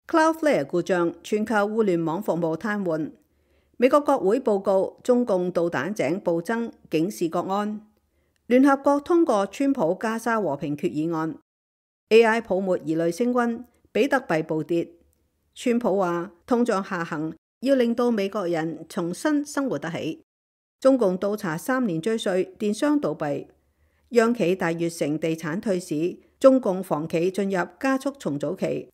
Cloudflare 故障，全球互聯網服務癱瘓。美國國會報告中共導彈井暴增，警示國安。聯合國通過川普加沙和平決議案。AI 泡沫疑慮升溫，比特幣暴跌。川普話通脹下行要令到美國人重新生活得起。中共倒查3年追稅，電商倒閉。央企大悅城地產退市，中共房企進入加速重組期。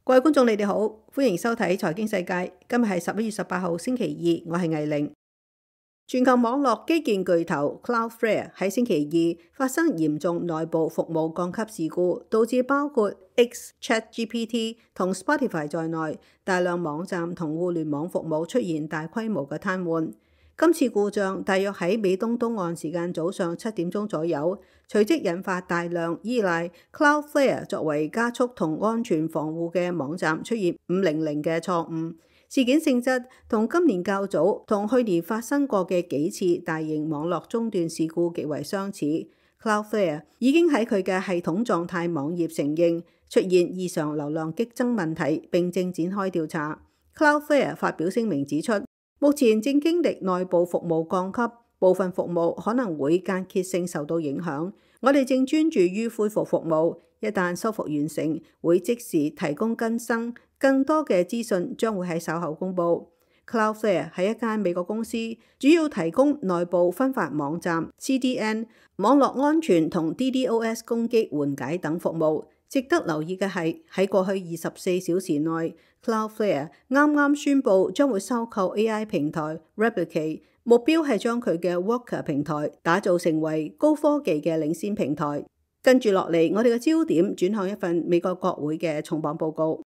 各位觀眾，你哋好，歡迎收睇財經世界。今日係11月18號星期二，我係魏玲。全球網絡基建巨頭 Cloudflare 喺星期二發生嚴重內部服務降級事故，導致包括 X、ChatGPT 同 Spotify 在內大量網站同互聯網服務出現大規模嘅癱瘓。今次故障大約喺美東東岸時間早上7點鐘左右，隨即引發大量依賴 Cloudflare 作為加速同安全防護嘅網站出現500嘅錯誤。事件性質同今年較早同去年發生過嘅幾次大型網絡中斷事故極為相似。Cloudflare 已經喺佢嘅系統狀態網頁承認出現異常流量激增問題，並正展開調查。Cloudflare 發表聲明指出，目前正經歷內部服務降級，部分服務可能會間歇性受到影響。我哋正專注於恢復服務，一旦修復完成，會即時提供更新。更多嘅資訊將會喺稍後公佈。Cloudflare 係一間美國公司，主要提供內部分發網站、CDN、網絡安全同 DDoS 攻擊緩解等服務。值得留意嘅係，喺過去24小時內 ，Cloudflare 啱啱宣布將會收購 AI 平台 Replicate， 目標係將佢嘅 Worker 平台打造成為高科技嘅領先平台。跟住落嚟，我哋嘅焦點轉向一份美國國會嘅重磅報告。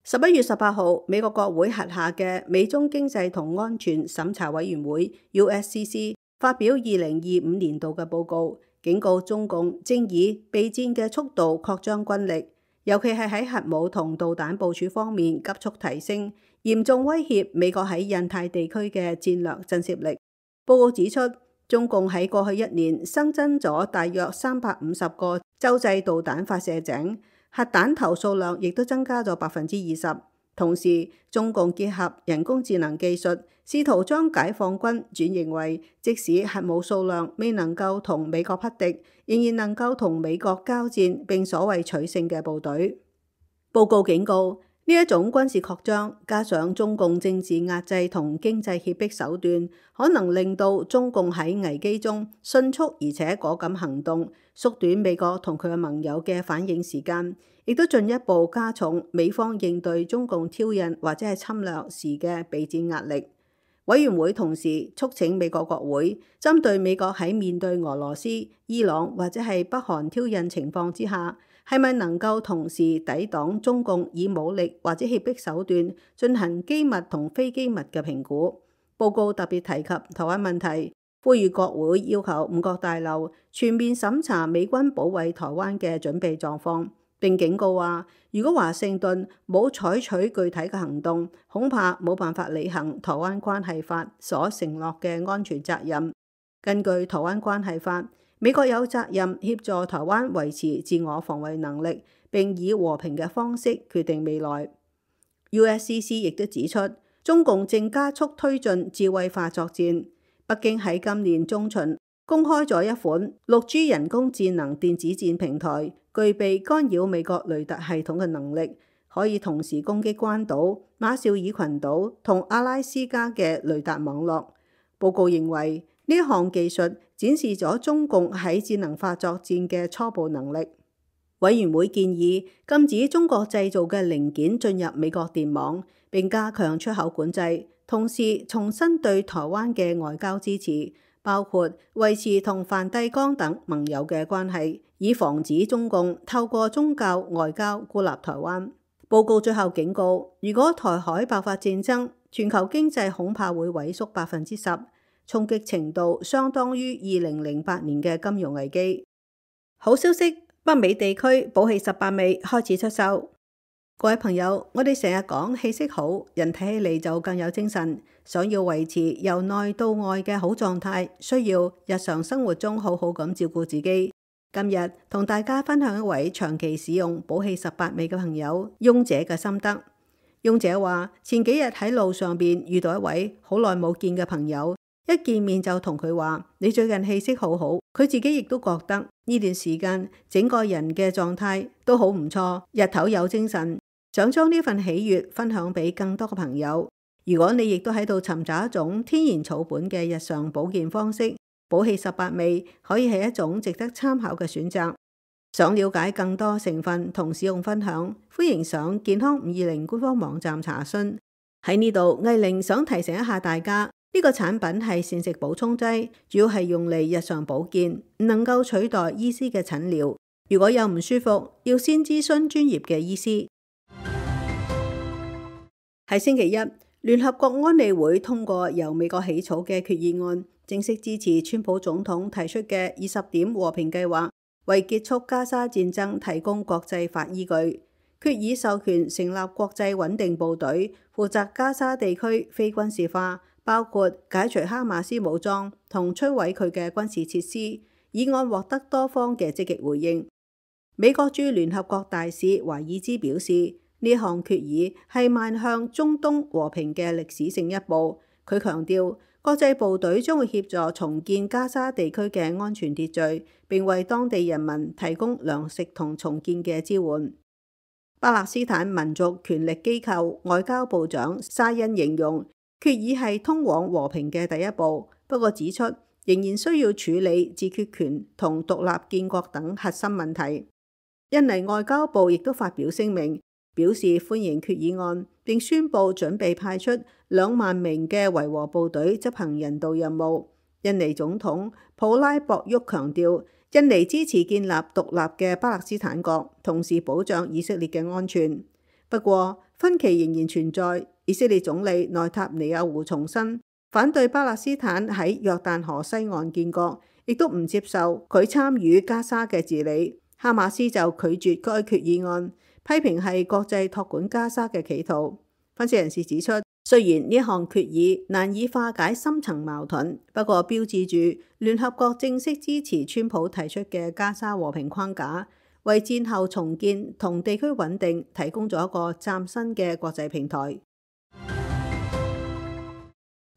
11月18號，美國國會轄下嘅美中經濟同安全審查委員會 USCC 發表2025年度嘅報告，警告中共正以備戰嘅速度擴張軍力，尤其係喺核武同導彈部署方面急速提升，嚴重威脅美國喺印太地區嘅戰略震懾力。報告指出，中共喺過去1年新增咗大約350個洲際導彈發射井。核彈頭數量亦都增加咗20%，同時中共結合人工智能技術，試圖將解放軍轉型為即使核武數量未能夠同美國匹敵，仍然能夠同美國交戰並所謂取勝嘅部隊。報告警告，呢一種軍事擴張加上中共政治壓制同經濟脅迫手段，可能令到中共喺危機中迅速而且果敢行動，縮短美國同佢嘅盟友嘅反應時間，亦都進一步加重美方應對中共挑釁或者係侵略時嘅備戰壓力。委員會同時促請美國國會針對美國喺面對俄羅斯、伊朗或者係北韓挑釁情況之下，係咪能夠同時抵擋中共以武力或者脅迫手段進行機密同非機密嘅評估。報告特別提及台灣問題，呼籲國會要求五角大樓全面審查美軍保衛台灣嘅準備狀況，並警告話，如果華盛頓冇採取具體嘅行動，恐怕冇辦法履行台灣關係法所承諾嘅安全責任。根據台灣關係法，美國有責任協助台灣維持自我防衛能力，並以和平嘅方式決定未來。USCC 亦都指出，中共正加速推進智慧化作戰。北京喺今年中旬公開咗一款 6G 人工智能電子戰平台，具備干擾美國雷達系統嘅能力，可以同時攻擊關島、馬紹爾群島同阿拉斯加嘅雷達網絡。報告認為，呢項技術展示咗中共喺智能化作戰嘅初步能力。委員會建議禁止中國製造嘅零件進入美國電網，並加強出口管制，同時重新對台灣嘅外交支持，包括維持同梵蒂岡等盟友嘅關係，以防止中共透過宗教外交孤立台灣。報告最後警告，如果台海爆發戰爭，全球經濟恐怕會萎縮10%，衝擊程度相當於2008年嘅金融危機。好消息，北美地區寶氣18味開始出售。各位朋友，我哋成日講氣色好，人睇起嚟就更有精神。想要維持由內到外嘅好狀態，需要日常生活中好好咁照顧自己。今日同大家分享一位長期使用寶氣18味嘅朋友翁姐嘅心得。翁姐話：前幾日喺路上邊遇到一位好耐冇見嘅朋友，一見面就同佢話：你最近氣色好好。佢自己亦都覺得呢段時間整個人嘅狀態都好唔錯，日頭有精神，想將呢份喜悅分享俾更多嘅朋友。如果你亦都喺度尋找一種天然草本嘅日常保健方式，寶氣18味可以係一種值得參考嘅選擇。想了解更多成分同使用分享，歡迎上健康520官方網站查詢。喺呢度，藝玲想提醒一下大家，呢個產品係膳食補充劑，主要係用嚟日常保健，唔能夠取代醫師嘅診療。如果有唔舒服，要先諮詢專業嘅醫師。喺星期一，聯合國安理會通過由美國起草嘅決議案，正式支持川普總統提出嘅20點和平計劃，為結束加沙戰爭提供國際法依據。決議授權成立國際穩定部隊，負責加沙地區非軍事化，包括解除哈馬斯武裝同摧毀佢嘅軍事設施。議案獲得多方嘅積極回應。美國駐聯合國大使華爾茲表示，呢項決議係邁向中東和平嘅歷史性一步。佢強調，國際部隊將會協助重建加沙地區嘅安全秩序，並為當地人民提供糧食同重建嘅支援。巴勒斯坦民族權力機構外交部長沙欣形容決議係通往和平嘅第一步，不過指出仍然需要處理自決權同獨立建國等核心問題。印尼外交部亦都發表聲明，表示歡迎決議案，並宣布準備派出2萬名嘅維和部隊執行人道任務。印尼總統普拉博沃強調，印尼支持建立獨立嘅巴勒斯坦國，同時保障以色列嘅安全。不過分歧仍然存在。以色列總理內塔尼亞胡重申反對巴勒斯坦喺約旦河西岸建國，亦都唔接受佢參與加沙嘅治理。哈馬斯就拒絕該決議案，批評係國際託管加沙嘅企圖。分析人士指出，雖然呢項決議難以化解深層矛盾，不過標誌住聯合國正式支持川普提出嘅加沙和平框架，為戰後重建同地區穩定提供咗一個嶄新嘅國際平台。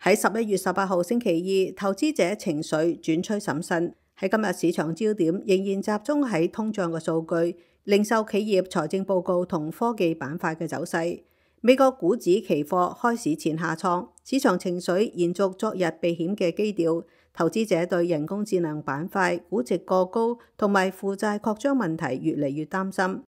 喺11月18號星期二，投資者情緒轉趨審慎。喺今日市場焦點仍然集中喺通脹嘅數據、零售企業財政報告同科技板塊嘅走勢。美國股指期貨開市前下挫，市場情緒延續昨日避險嘅基調。投資者對人工智能板塊估值過高同埋負債擴張問題越嚟越擔心。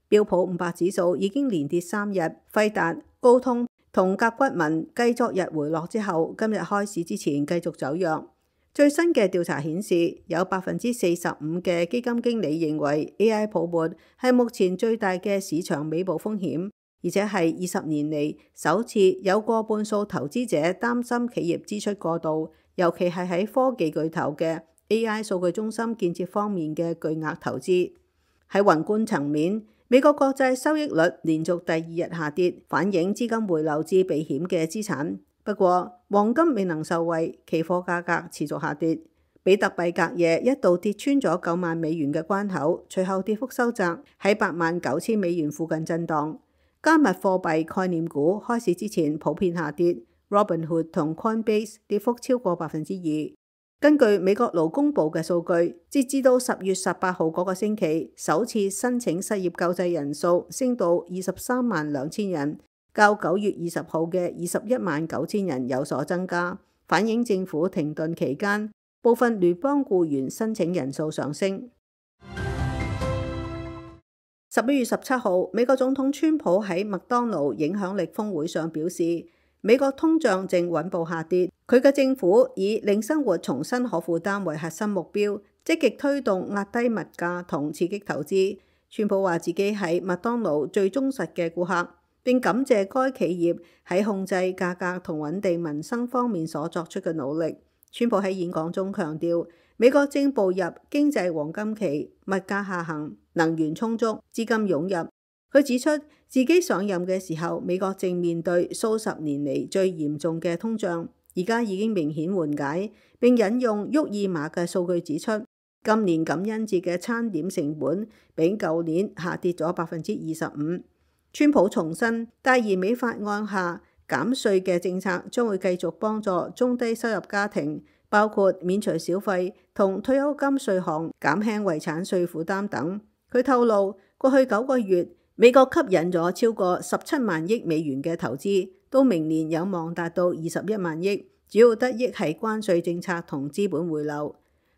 標普500指數已經連跌3日，輝達、高通同甲骨文繼昨日回落之後，今日開市之前繼續走弱。最新嘅調查顯示，有45%嘅基金經理認為 AI 泡沫係目前最大嘅市場尾部風險，而且係20年嚟首次有過半數投資者擔心企業支出過度，尤其係喺科技巨頭嘅 AI 數據中心建設方面嘅巨額投資。喺宏觀層面，美國國債收益率連續第2日下跌，反映資金回流至避險嘅資產。不過，黃金未能受惠，期貨價格持續下跌。比特幣隔夜一度跌穿咗9萬美元嘅關口，隨後跌幅收窄，喺8萬9千美元附近震盪。加密貨幣概念股開市之前普遍下跌 ，Robinhood 同 Coinbase 跌幅超過2%。根據美國勞工部嘅數據，截至到10月18號嗰個星期，首次申請失業救濟人數升到23萬2千人。較9月20號嘅21萬9千人有所增加，反映政府停頓期間部分聯邦僱員申請人數上升。11月17號，美國總統川普喺麥當勞影響力峰會上表示，美國通脹正穩步下跌，佢嘅政府以令生活重新可負擔為核心目標，積極推動壓低物價同刺激投資。川普話自己係麥當勞最忠實嘅顧客，並感謝該企業喺控制價格同穩定民生方面所作出嘅努力。川普喺演講中強調，美國正步入經濟黃金期，物價下行，能源充足，資金湧入，佢指出自己上任嘅時候，美國正面對數十年嚟最嚴重嘅通脹，而家已經明顯緩解。並引用沃爾瑪嘅數據指出，今年感恩節嘅餐點成本比舊年下跌咗25%。川普重申，大而美法案下減稅嘅政策將會繼續幫助中低收入家庭，包括免除小費同退休金稅項、減輕遺產稅負擔等。佢透露，過去9個月，美國吸引咗超過17萬億美元嘅投資，到明年有望達到21萬億，主要得益係關稅政策同資本回流。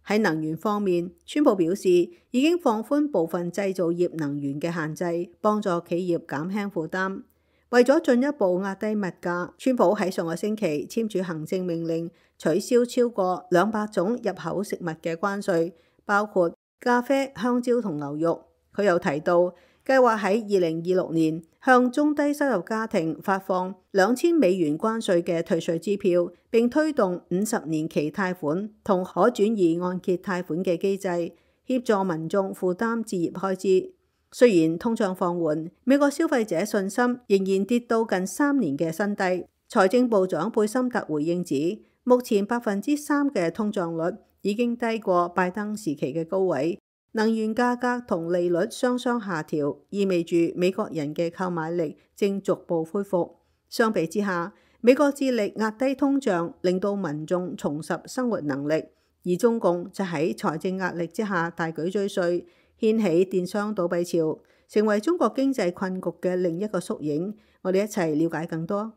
喺能源方面，川普表示已經放寬部分製造業能源嘅限制，幫助企業減輕負擔。為咗進一步壓低物價，川普喺上個星期簽署行政命令，取消超過200種入口食物嘅關稅，包括咖啡、香蕉同牛肉。佢又提到，計劃喺2026年向中低收入家庭發放2000美元關稅嘅退稅支票，並推動50年期貸款同可轉移按揭貸款嘅機制，協助民眾負擔置業開支。雖然通脹放緩，美國消費者信心仍然跌到近3年嘅新低。財政部長貝森特回應指，目前3%嘅通脹率已經低過拜登時期嘅高位。能源價格同利率雙雙下調，意味住美國人嘅購買力正逐步恢復。相比之下，美國致力壓低通脹，令到民眾重拾生活能力，而中共就喺財政壓力之下大舉追稅，掀起電商倒閉潮，成為中國經濟困局嘅另一個縮影。我哋一齊了解更多。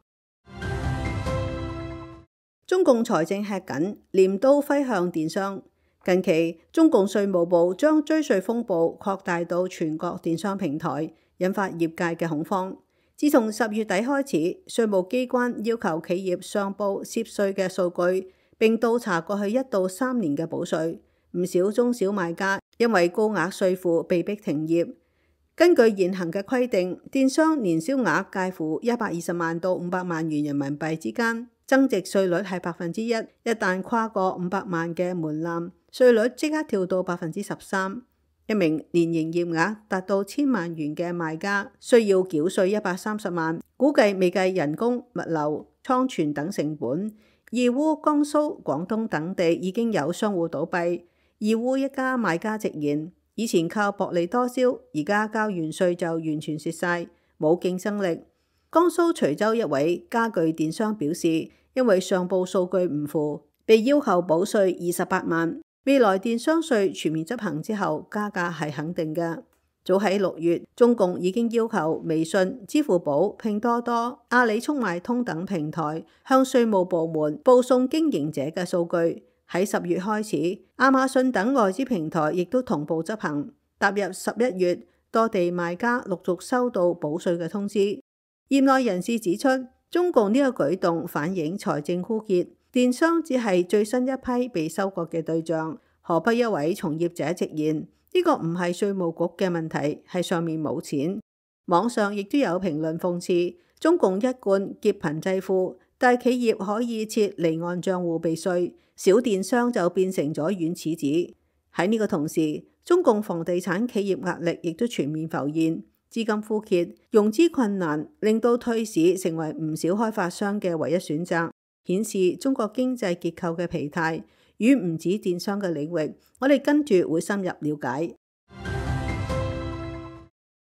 中共財政吃緊，鐮刀揮向電商。近期，中共稅務部將追稅風暴擴大到全國電商平台，引發業界嘅恐慌。自從10月底開始，稅務機關要求企業上報涉稅嘅數據，並倒查過去1到3年嘅補稅。唔少中小賣家因為高額稅負被逼停業。根據現行嘅規定，電商年銷額介乎120萬到500萬元人民幣之間，增值稅率係1%。一旦跨過500萬嘅門檻，稅率即刻跳到13%。一名年營業額達到1000萬元嘅賣家需要繳稅130萬，估計未計人工、物流、倉存等成本。義烏、江蘇、廣東等地已經有商戶倒閉。義烏一家賣家直言，以前靠薄利多銷，而家交完稅就完全蝕晒，冇競爭力。江蘇徐州一位家具電商表示，因為上報數據唔符，被要求補稅28萬。未來電商稅全面執行之後，加價係肯定嘅。早喺6月，中共已經要求微信、支付寶、拼多多、阿里速賣通等平台向稅務部門報送經營者嘅數據。喺10月開始，亞馬遜等外資平台亦都同步執行。踏入11月，多地賣家陸續收到補稅嘅通知。業內人士指出，中共呢個舉動反映財政枯竭，電商只係最新一批被收割嘅對象。河北一位從業者直言，呢個唔係稅務局嘅問題，係上面冇錢。網上亦都有評論諷刺，中共一貫劫貧濟富，大企業可以設離岸賬戶避稅，小電商就變成咗軟柿子。喺呢個同時，中共房地產企業壓力亦都全面浮現，資金枯竭、融資困難，令到退市成為唔少開發商嘅唯一選擇，顯示中國經濟結構嘅疲態。與唔止電商嘅領域，我哋跟住會深入了解。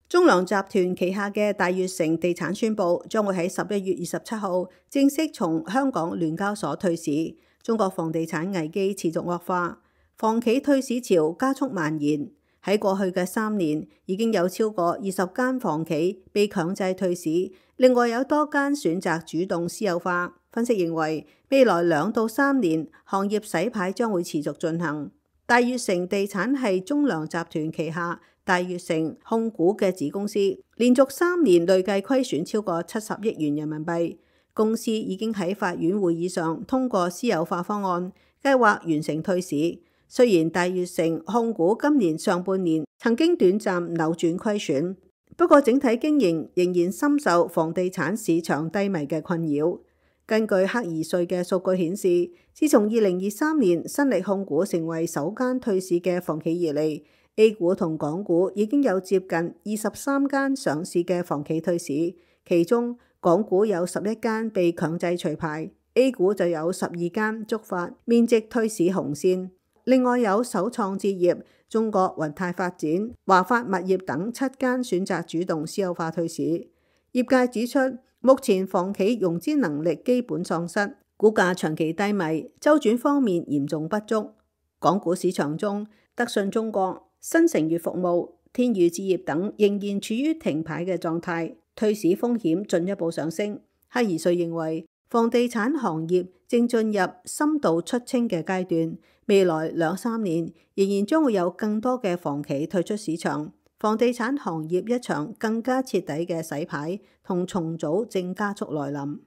中糧集團旗下嘅大悅城地產宣布，將會喺11月27號正式從香港聯交所退市。中國房地產危機持續惡化，房企退市潮加速蔓延。喺過去嘅3年，已經有超過20間房企被強制退市，另外有多間選擇主動私有化。分析認為，未來2到3年，行業洗牌將會持續進行。大悅城地產係中糧集團旗下大悅城控股嘅子公司，連續3年累計虧損超過70億元人民幣。公司已經喺法院會議上通過私有化方案，計劃完成退市。雖然大悅城控股今年上半年曾經短暫扭轉虧損，不過整體經營仍然深受房地產市場低迷嘅困擾。根據克爾稅嘅數據顯示，自從2023年新力控股成為首間退市嘅房企以嚟， A 股同港股已經有接近23間上市嘅房企退市，其中港股有11間被強制除牌， A 股就有12間觸發面積退市紅線。另外有首創置業、中國雲泰發展、華發物業等7間選擇主動私有化退市。業界指出，目前房企融資能力基本喪失，股價長期低迷，周轉方面嚴重不足。港股市場中，德信中國、新城悅服務、天宇置業等仍然處於停牌嘅狀態，退市風險進一步上升。黑怡瑞認為，房地產行業正進入深度出清嘅階段，未來2-3年仍然將會有更多嘅房企退出市場，房地產行業一場更加徹底嘅洗牌同重組正加速來臨。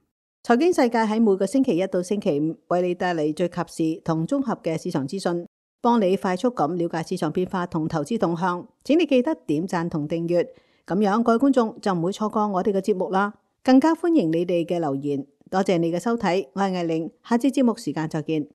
財經世界喺每個星期1到星期5為你帶嚟最及時同綜合嘅市場資訊，幫你快速咁了解市場變化同投資動向。請你記得點讚同訂閱，咁樣各位觀眾就唔會錯過我哋嘅節目啦。更加歡迎你哋嘅留言。多謝你嘅收睇，我係艾玲，下次節目時間再見。